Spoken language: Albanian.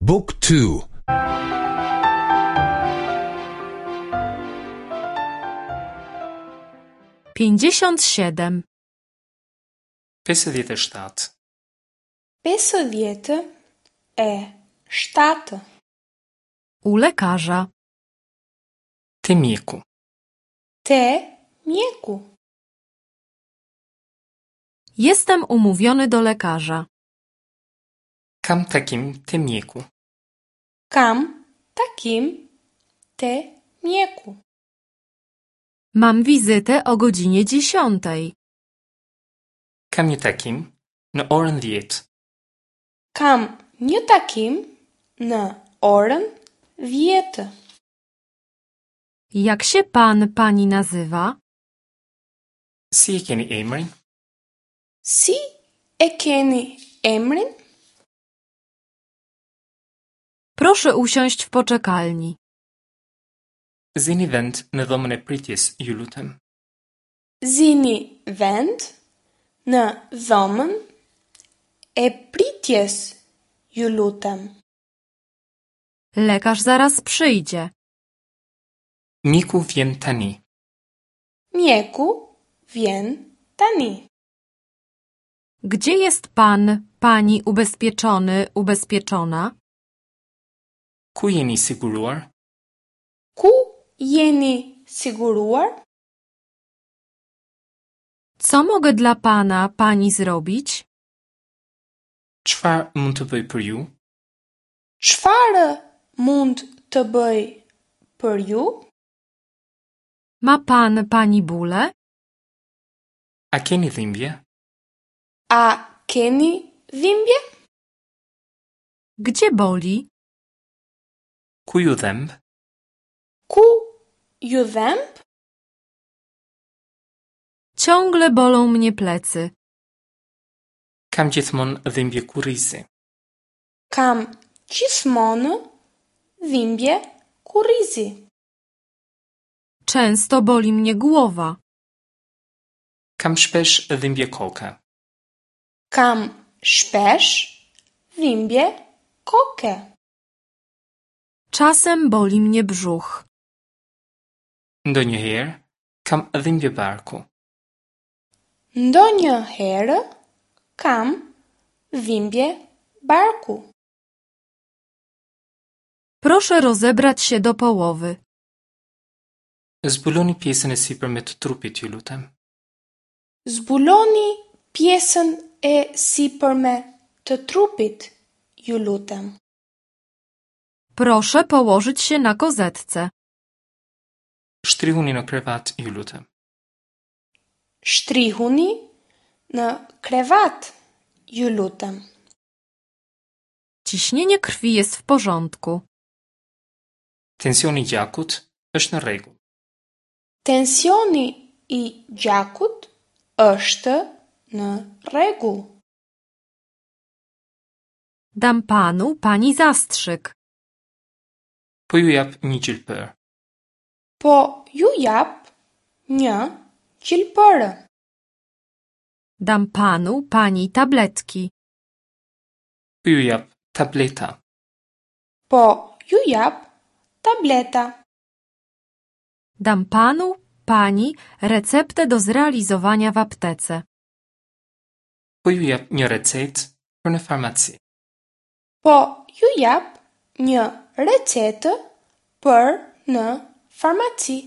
บุ๊กทู 57. 57. 57. U lekarza. Te mjeku. Te mjeku. Jestem umówiony do lekarza. Kam takim te mjeku. Kam takim te mjeku. Mam wizytę o godzinie 10:00. Kam një takim në orën 10. Kam një takim në orën 10. Jak się pan, pani nazywa? Si e keni emrin? Si e keni emrin? Proszę usiąść w poczekalni. Zini vend në dhomën e pritjes, ju lutem. Zini vend në dhomën e pritjes, ju lutem. Lekarz zaraz przyjdzie. Mjeku vjen tani. Mjeku vjen tani. Gdzie jest pan, pani ubezpieczony, ubezpieczona? Ku jeni siguruar? Ku jeni siguruar? Co mogę dla pana, pani zrobić? Çfarë mund të bëj për ju? Çfarë mund të bëj për ju? Ma pan, pani bóle? A keni dhimbje? A keni dhimbje? Gdzie boli? Ku ju dhemb? Ku ju dhemb? Ciągle bolą mnie plecy. Kam gjithmonë dhimbje kurrizi. Kam gjithmonë dhimbje kurrizi. Często boli mnie głowa. Kam shpesh dhimbje koke. Kam shpesh dhimbje koke. Czasem boli mnie brzuch. Ndonjëherë kam dhimbje barku. Ndonjëherë kam dhimbje barku. Proszę rozebrać się do połowy. Zbuloni pjesën e sipërme të trupit, ju lutem. Zbuloni pjesën e sipërme të trupit, ju lutem. Proszę położyć się na kozetce. Shtrihuni në krevat, ju lutem. Shtrihuni në krevat, ju lutem. Ciśnienie krwi jest w porządku. Tensioni i gjakut është në rregull. Tensioni i gjakut është në rregull. Dam panu, pani zastrzyk. Po ju jap një gjilpër. Po ju jap një gjilpërë. Dam panu, pani tabletki. Po ju jap tableta. Po ju jap tableta. Dam panu, pani receptę do zrealizowania w aptece. Po ju jap një recetë për në farmaci. Po ju jap një recetë për në farmaci.